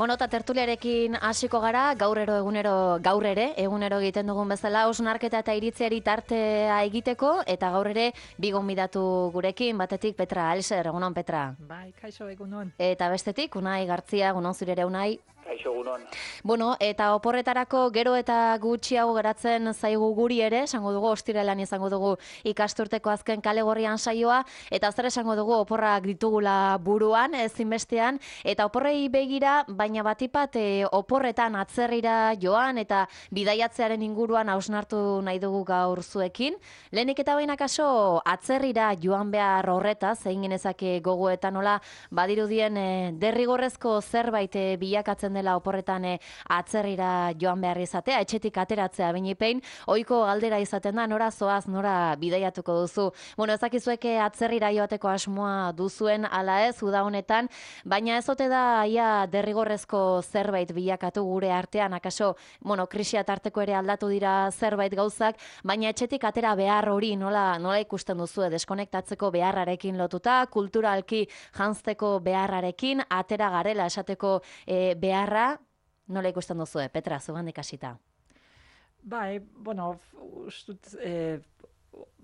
Bueno, eta tertuliarekin hasiko gara, gaur ere, egunero egiten dugun bezala, hausnarketa eta iritziari tartea egiteko, eta gaur ere, bi gonbidatu gurekin, batetik Petra Alser, egunon Petra. Bai, kaixo egunon. Eta bestetik, Unai Gartzia, egunon zure ere Unai. Kaixo egunon. Bueno, eta oporretarako gero eta gutxiago geratzen zaigu guri ere, esango dugu, ostiralean izango dugu ikasturteko azken kale gorrian saioa, eta zer esango dugu oporrak ditugula buruan, ezinbestean, eta oporrei begira, baina batipat oporretan atzerrira joan, eta bidaiatzearen inguruan hausnartu nahi dugu gaur zuekin. Lehenik eta baina kaso, atzerrira joan behar horretaz, egin genezake gogoetan nola, badirudien derrigorrezko zerbait bilakatzen dela oporretan atzerrira joan behar izatea, etxetik ateratzea binipein, ohiko galdera izaten da, nora zoaz, nora bidaiatuko duzu. Bueno, ezakizueke atzerrira joateko asmoa duzuen ala ez, uda honetan, baina ez ote da ia derrigorrezko zerbait bilakatu gure artean, akaso, bueno, krisia tarteko ere aldatu dira zerbait gauzak, baina etxetik atera behar hori nola ikusten duzu, deskonektatzeko beharrarekin lotuta, kulturalki janzteko beharrarekin, atera garela esateko beharra, nola ikusten duzu, Petra, zugandik hasita? Bai, bueno, ustut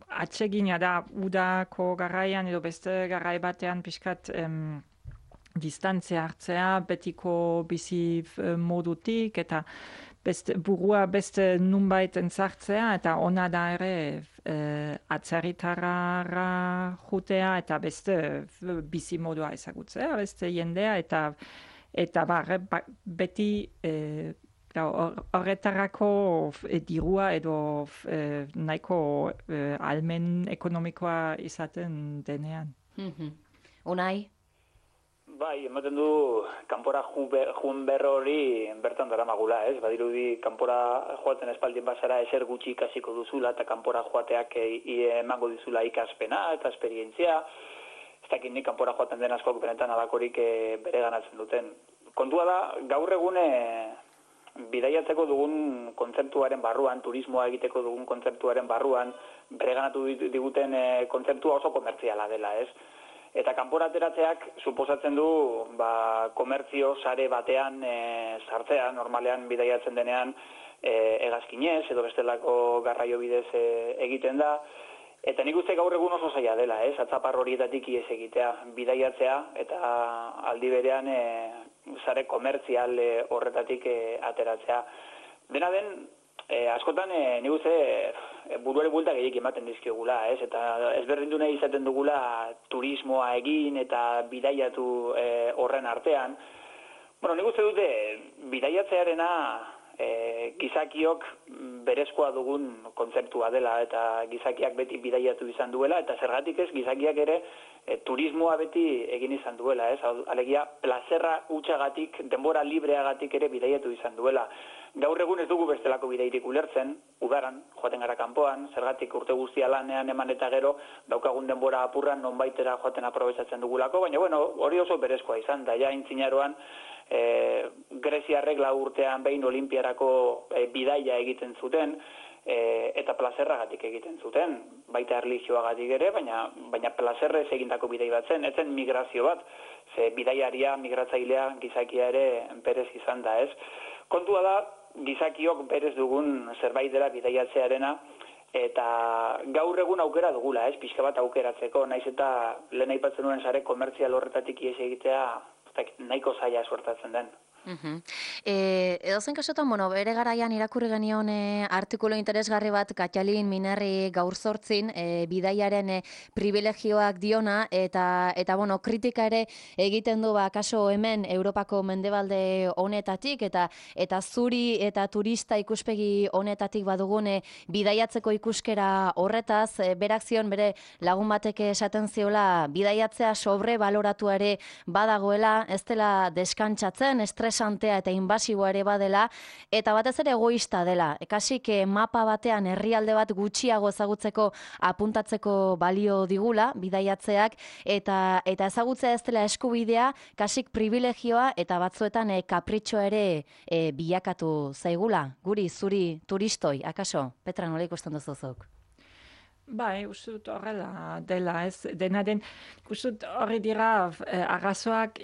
atsegina da udako garaian edo beste garai batean pixkat distantzia hartzea betiko bizi modutik eta burua beste nunbait entzartzea eta ona da ere atzerritarra jutea eta beste bizi modua ezagutzea, beste jendea eta beti horretarako dirua edo nahiko almen ekonomikoa izaten denean. Unai? Bai, ematen du kanpora jun berro hori bertan daramagula, ez? Badirudi kanpora joaten espaldien bazara ezer gutxi ikasiko duzula eta kanpora joateak emango dizula ikaspena eta esperientzia. Ez dakit nik kanpora joaten den askok benetan alakorik bere ganatzen duten. Kontua da, gaur egun bidaiatzeko dugun kontzeptuaren barruan, turismoa egiteko dugun kontzeptuaren barruan, bere ganatu diguten kontzeptua oso komertziala dela, ez? Eta kanpora ateratzeak suposatzen du komertzio sare batean sartzea, normalean bidaiatzen denean hegazkinez edo bestelako garraio bidez egiten da. Eta nik uste gaur egun oso zaila dela, ez? Atzapar horietatik ihes egitea, bidaiatzea eta aldi berean sare komertzial horretatik ateratzea. Dena den, askotan nik uste buruari buelta gehiek ematen dizkiogula, ez? Eta ezberdindu nahi izaten dugula turismoa egin eta bidaiatu horren artean. Bueno, nik uste dute bidaiatzearena gizakiok berezkoa dugun kontzeptua dela eta gizakiak beti bidaiatu izan duela eta zergatik ez gizakiak ere turismoa beti egin izan duela, ez? Alegia, plazerra hutsagatik, denbora libreagatik ere bidaiatu izan duela. Gaur egun ez dugu bestelako bidairik ulertzen, udaran, joaten gara kanpoan, zergatik urte guztia lanean eman eta gero, daukagun denbora apurran nonbaitera joaten aprobetxatzen dugulako, baina bueno, hori oso berezkoa izan, da ja intzinaroan Greziarrek 4 urtean behin olimpiarako bidaia egiten zuten, eta plazerragatik egiten zuten, baita erlijioagatik ere, baina plazerrez egindako bidai bat zen, etzen migrazio bat, ze bidaiaria, migratzailea, gizakia ere berez izan da, ez? Kontua da, gizakiok berez dugun zerbait dela bidaiatzearena, eta gaur egun aukera dugula, ez? Pixka bat aukeratzeko, naiz eta lehen aipatzen nuen sare komertzial horretatik ihes egitea, nahiko zaila suertatzen den. Edozen kasutan, bueno, bere garaian irakurri genion artikulu interesgarri bat Katjalin Minerri gaur zortzin, bidaiaren privilegioak diona, eta bueno, kritika ere egiten du kaso hemen Europako mendebalde honetatik, eta zuri eta turista ikuspegi honetatik badugune bidaiatzeko ikuskera horretaz, berak zion bere lagun batek esaten ziola bidaiatzea sobre baloratu ere badagoela, ez dela deskantzatzen, estresantea eta inbasiboa ere badela, eta batez ere egoista dela. Kasik mapa batean herrialde bat gutxiago ezagutzeko apuntatzeko balio digula, bidaiatzeak, eta ezagutzea ez dela eskubidea, kasik privilegioa eta batzuetan kapritxoa ere bilakatu zaigula. Guri, zuri turistoi, akaso? Petra, nola ikusten duzuzuk? Bai, uste dut horrela dela, ez dena den, uste dut horri dira arrazoak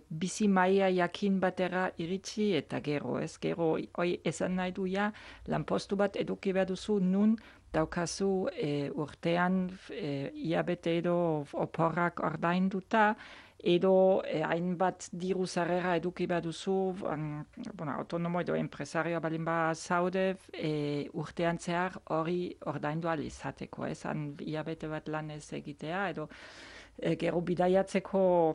bizi maila jakin batera iritsi eta gero, ez gero, hoi esan nahi du lanpostu bat eduki behar duzu nun daukazu urtean hilabete edo oporrak ordainduta, edo hainbat diru sarrera eduki behar duzu, autonomo edo empresario balin ba zaude, urtean zehar hori ordaindu ahal izateko, han hilabete bat lan ez egitea, edo gero bidaiatzeko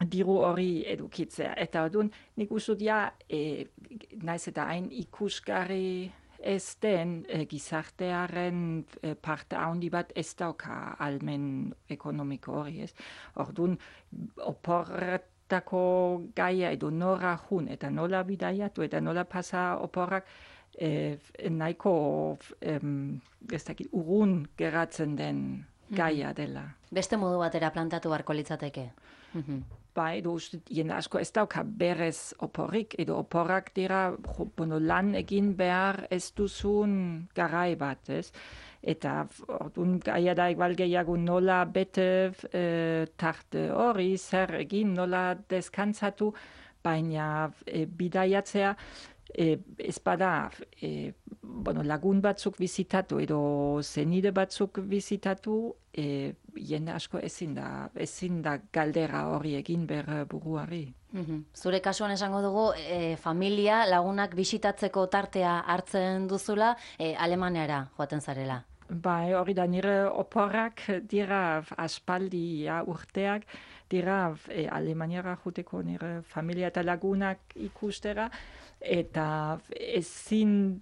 diru hori edukitzea. Eta orduan, nik uste naiz eta hain ikusgarri ez den gizartearen parte handi bat ez dauka almen ekonomiko hori, ez? Orduan, oporretako gaia edo nora jun, eta nola bidaiatu, eta nola pasa oporrak nahiko urrun geratzen den gaia dela. Beste modu batera plantatu beharko litzateke. Bai, edo jende asko ez dauka berez oporrik, edo oporrak dira lan egin behar ez duzun garai bat, ez? Eta orduan gaia da igual gehiago nola bete tarte hori, zer egin, nola deskantzatu, baina bidaiatzea ez bada lagun batzuk bizitatu edo zenide batzuk bizitatu, jende asko ezin da galdera hori egin behar buruari. Zure kasuan esango dugu, familia lagunak bisitatzeko tartea hartzen duzula, Alemaniara joaten zarela. Bai, hori da nire oporrak dira aspaldi urteak, dira Alemaniara juteko nire familia eta lagunak ikustera, eta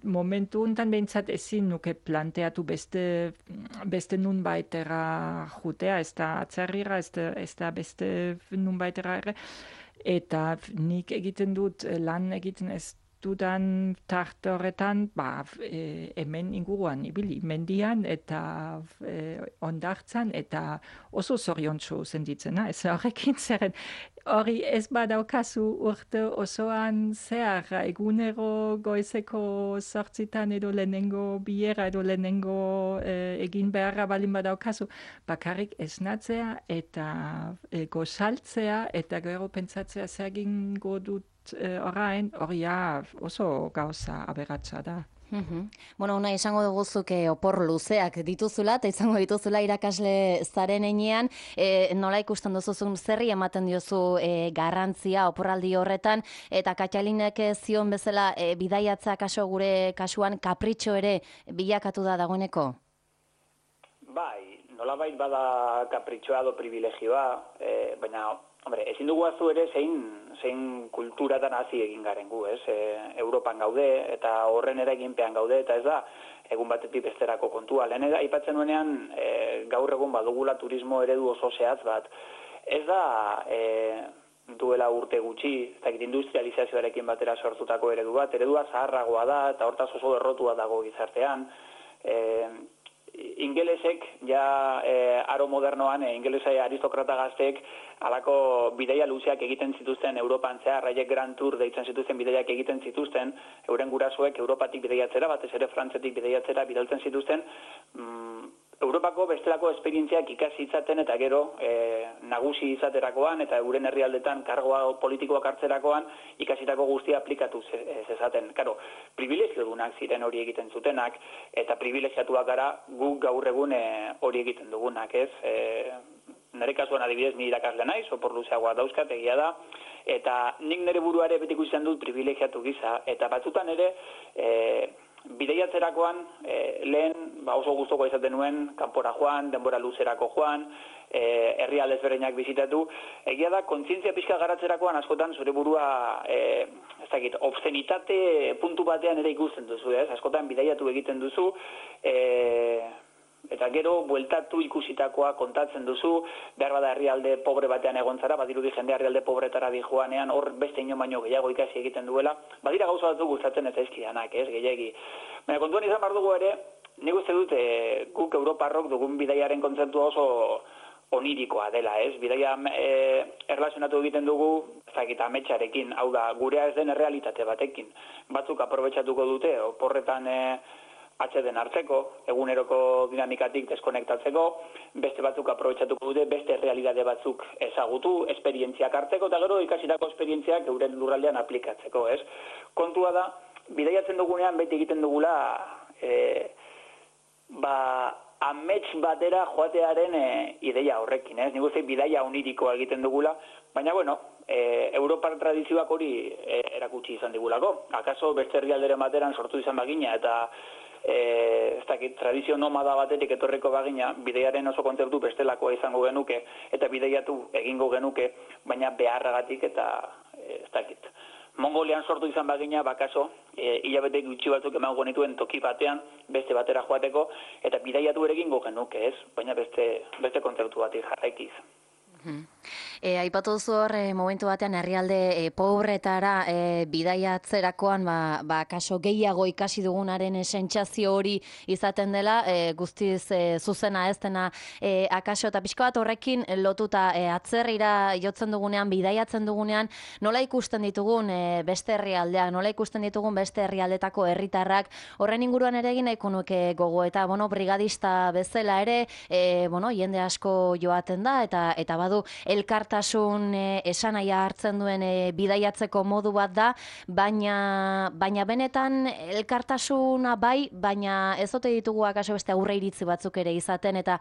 momentu untan behintzat ezin nuke planteatu beste nun baitera jutea, ez da atzerrira, ez da beste nun baitera ere, eta nik egiten dut lan egiten ez dudan tarte horretan, hemen inguruan ibili, mendian eta ondartzan, eta oso zoriontsu senditzena, ez horrekin zeren, hori ez badaukazu urte osoan zehar, egunero goizeko 8 edo lehenengo bilera edo lehenengo egin beharra balin badaukazu, bakarrik esnatzea eta gozaltzea eta gero pentsatzea zer egingo dut orain, hori oso gauza aberatsa da. Una izango duguzuk opor luzeak dituzula, eta izango dituzula irakasle zaren enean, nola ikusten duzuzun zerri ematen diozu garrantzia oporraldi horretan, eta Katxalinek zion bezala bidaiatza kaso gure kasuan kapritxo ere bilakatu da dagoeneko? Bai, nolabait bada kapritxoa do privilegioa, baina ezin dugu azu ere zein kulturatan hasi egin garen gu, ez? Europan gaude eta horren eraginpean gaude, eta ez da egun batetik besterako kontua. Lehen aipatzen nuenean gaur egun badugula turismo eredu oso zehatz bat. Ez da duela urte gutxi, ez dakit industrializazioarekin batera sortutako eredua zaharragoa da eta hortaz oso errotua dago gizartean. Ingelesek, aro modernoan, ingelesai aristokrata gazteek, alako bidaia luzeak egiten zituzten Europan zehar, haiek Grand Tour deitzen zituzten bidaiak egiten zituzten, euren gurasoek Europatik bidaiatzera, batez ere Frantzetik bidaiatzera bidaltzen zituzten, Europako bestelako esperientziak ikasi itzaten eta gero nagusi izaterakoan eta euren herrialdetan kargoa politikoak hartzerakoan ikasitako guztia aplikatu zezaten. Karo, privilegiodunak ziren hori egiten zutenak eta privilegiatuak gara guk gaur egun hori egiten dugunak, ez? Nire kasuan adibidez ni irakasle naiz, opor luzeagoa dauzkat, egia da, eta nik nire buruare betiko izan dut privilegiatu gisa, eta batzutan ere bidaiatzerakoan lehen oso gustoko izaten nuen kanpora joan, denbora luzerako joan, herrialde ezberdinak bizitatu. Egia da, kontzientzia pixka garatzerakoan askotan zure burua obszenitate puntu batean ere ikusten duzu, ez? Askotan bidaiatu egiten duzu, eta gero bueltatu ikusitakoa kontatzen duzu, behar bada herrialde pobre batean egon zara, badirudi jende herrialde pobretara di joanean, hor beste ino baino gehiago ikasi egiten duela, badira gauza batzuk gustatzen ez zaizkidanak, ez, gehiagi. Baina kontuan izan behar dugu ere, nik uste dut guk Europarrok dugun bidaiaren kontzeptua oso onirikoa dela, ez? Bidaia erlazionatu egiten dugu, ametsarekin, hau da, gurea ez den errealitate batekin. Batzuk aprobetxatuko dute, oporretan atxeden hartzeko, eguneroko dinamikatik deskonektatzeko, beste batzuk aprobetxatuko dute, beste realidade batzuk ezagutu, esperientziak hartzeko, eta gero ikasitako esperientziak euren lurraldean aplikatzeko, ez? Kontua da, bidaiatzen dugunean beti egiten dugula, amets batera joatearen ideia horrekin, ez? Nik uste bidaia onirikoa egiten dugula, baina, bueno, Europar tradizioak hori erakutsi izan digulako. Akaso beste herrialderen bateran sortu izan bagina eta ez dakit, tradizio nomada batetik etorreko bagina, bideiaren oso kontzeptu bestelakoa izango genuke eta bideiatu egingo genuke, baina beharragatik eta ez dakit. Mongolian sortu izan bagina, bakaso, hilabete gutxi batzuk emango genituen toki batean, beste batera joateko, eta bidaiatu ere egingo genuke, ez? Baina beste kontzeptu batik jarraikiz. Aipatu duzu hor, momentu batean herrialde pobretara bidaiatzerakoan, kaso gehiago ikasi dugunaren sentsazio hori izaten dela, guztiz zuzena ez dena akaso, eta pixko bat horrekin lotuta atzerrira jotzen dugunean, bidaiatzen dugunean, nola ikusten ditugun beste herrialdea, nola ikusten ditugun beste herrialdetako herritarrak, horren inguruan ere egin nahiko nuke gogo, eta brigadista bezala ere, jende asko joaten da, eta badu elkartasun esanahia hartzen duen bidaiatzeko modu bat da, baina benetan elkartasuna bai, baina ez ote ditugu akaso beste aurre iritzi batzuk ere izaten, eta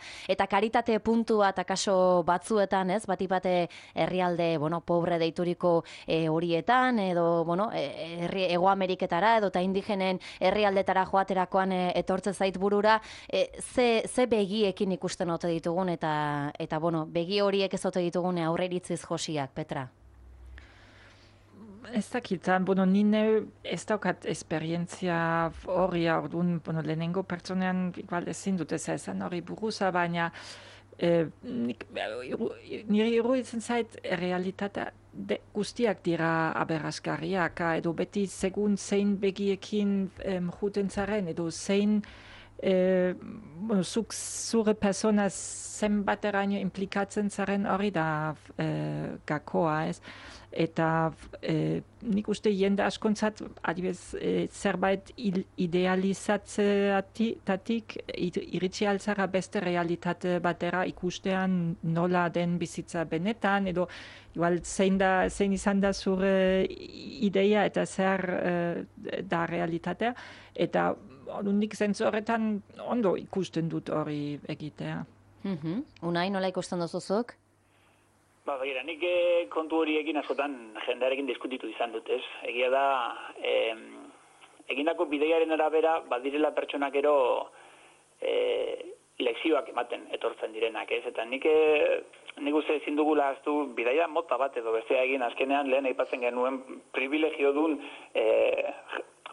karitate puntu bat akaso batzuetan, ez, batipate herrialde, pobre deituriko horietan, edo, Hego Ameriketara, edo eta indigenen herrialdetara joaterakoan etortze zait burura, ze begiekin ikusten ote ditugun, eta begi horiek ez ote ditugun aurre iritziz josiak, Petra? Ez dakit, nine ez daukat esperientzia hori, orduan, lehenengo pertsonean igual ezin dut ez esan hori buruza, baina nire iruditzen zait realitatea guztiak dira aberasgarriak, edo beti segun zein begiekin juten zaren, edo zein zuk zure persona zenbateraino implikatzen zaren hori da gakoa, ez? Eta nik uste jende askontzat adibez zerbait idealizatzeatik iritsi altzara beste realitate batera ikustean nola den bizitza benetan, edo igual zein izan da zure ideia eta zer da realitatea, eta nik zentzu horretan ondo ikusten dut hori egitea. Unai, nola ikusten duzuzuk? Begira, nik kontu horiekin askotan jendearekin diskutitu izan dut, ez? Egia da, egindako bideiaren arabera, badirela pertsonak ero lekzioak ematen etortzen direnak, ez? Eta nik uste ezin dugula aztu bidaia mota bat edo bestea egin azkenean lehen aipatzen genuen privilegio duen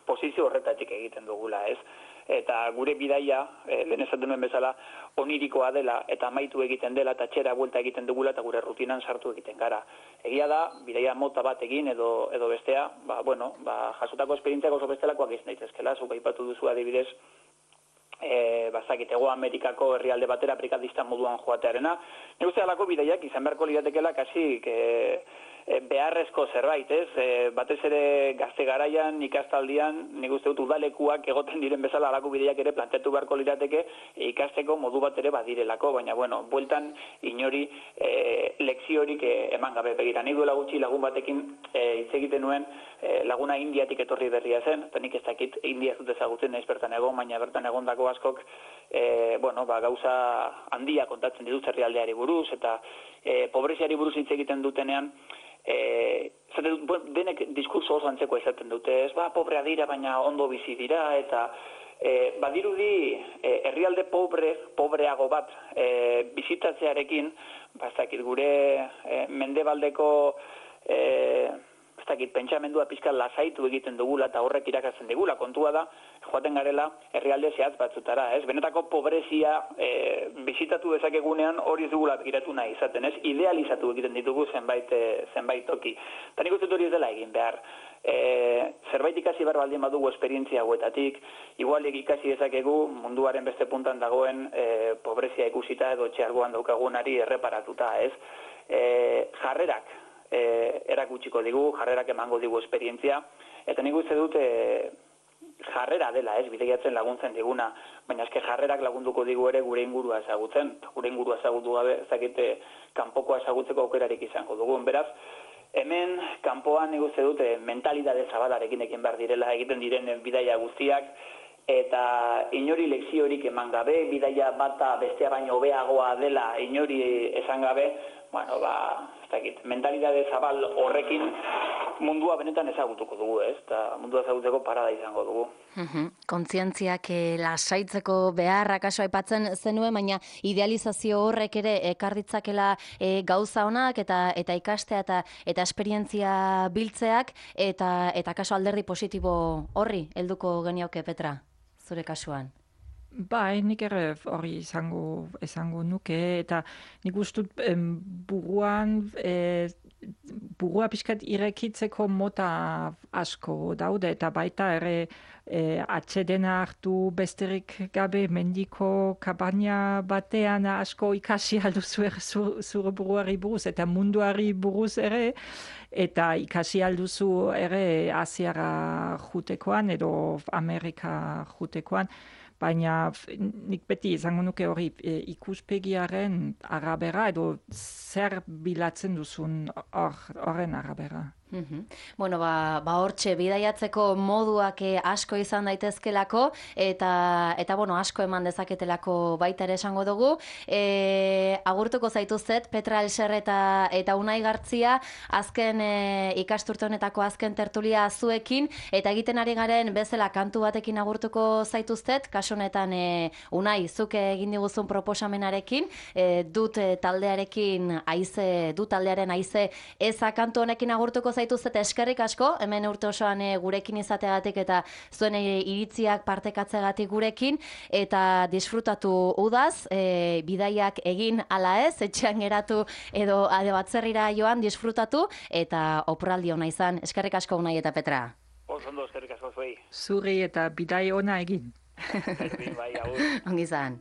posizio horretatik egiten dugula, ez? Eta gure bidaia, lehen esaten nuen bezala, onirikoa dela, eta amaitu egiten dela, eta txera buelta egiten dugula, eta gure rutinan sartu egiten gara. Egia da, bidaia mota bat egin edo bestea, jasotako esperientziak oso bestelakoak izan daitezkela, zuk aipatu duzu adibidez, Hego Amerikako herrialde batera brikadista moduan joatearena. Nik uste alako bidaiak izan beharko liratekela kasik beharrezko zerbait, ez? Batez ere gazte garaian, ikastaldian, nik uste dut udalekuak egoten diren bezala alako bideiak ere planteatu beharko lirateke ikasteko modu bat ere badirelako, baina bueltan inori lekziorik eman gabe begira. Nik duela gutxi lagun batekin hitz egiten nuen laguna Indiatik etorri berria zen, eta nik ez dakit India zut ezagutzen naiz bertan egon, baina bertan egondako askok gauza handia kontatzen dituz herrialdeari buruz, eta pobreziari buruz hitz egiten dutenean, denek diskurso oso antzeko izaten dute, ez pobrea dira, baina ondo bizi dira, eta badirudi herrialde pobreago bat bizitatzearekin, gure mendebaldeko pentsamendua pixka lasaitu egiten dugula eta horrek irakatzen digula. Kontua da, joaten garela herrialde zehatz batzutara, ez? Benetako pobrezia bizitatu dezakegunean hori ez dugula begiratu nahi izaten, ez? Idealizatu egiten ditugu zenbait toki. Eta nik uste hori ez dela egin behar. Zerbait ikasi behar baldin badugu esperientzia hauetatik, igual ikasi dezakegu munduaren beste puntan dagoen pobrezia ikusita edo txargoan daukagunari erreparatuta, ez? Jarrerak erakutsiko digu, jarrerak emango digu esperientzia, eta nik uste dut jarrera dela, bidaiatzen laguntzen diguna, baina eske jarrerak lagunduko digu ere gure ingurua ezagutzen, gure ingurua ezagutu gabe, ezakite kanpokoa ezagutzeko aukerarik izango dugun. Beraz, hemen kanpoan nik uste dute mentalidade zabalarekin ekin behar direla egiten diren bidaia guztiak, eta inori lekziorik eman gabe, bidaia bata bestea baino hobeagoa dela inori esan gabe, bueno, ez dakit, mentalidade zabal horrekin mundua benetan ezagutuko dugu, eta mundua ezagutzeko parada izango dugu. Kontzientziak lasaitzeko beharrak aso aipatzen zenuen, baina idealizazio horrek ere ekar ditzakela gauza onak eta ikastea eta esperientzia biltzeak eta kaso alderdi positibo horri helduko genioke, Petra, zure kasuan. Bai, nik ere hori esango nuke, eta nik ustut burua pixkat irekitzeko mota asko daude, eta baita ere atsedena hartu besterik gabe mendiko kabana batean asko ikasi alduzu zure buruari buruz, eta munduari buruz ere, eta ikasi alduzu ere Asiara jutekoan edo Amerika jutekoan, baina nik beti izango nuke hori ikuspegiaren arabera edo zer bilatzen duzun horren arabera. Bueno, hortxe bidaiatzeko moduak asko izan daitezkelako eta bueno, asko eman dezaketelako baita ere esango dugu. Agurtuko zaituztet Petra Elser eta Unai Gartzia azken ikasturte honetako azken tertulia zuekin eta egiten ari garen bezala kantu batekin agurtuko zaituztet, kasu honetan Unai zuk egin diguzun proposamenarekin, dut taldearen haize eza kantu honekin agurtuko zaituztet eskerrik asko, hemen urte osoan gurekin izateagatik eta zuen iritziak partekatzeagatik gurekin, eta disfrutatu udaz, bidaiak egin ala ez, etxean geratu edo batzerrira joan disfrutatu, eta oporraldi ona izan. Eskerrik asko Unai eta Petra. Oso ondo, eskerrik asko zuei. Zuri eta bidai ona egin. Bai, agur. Ongi izan.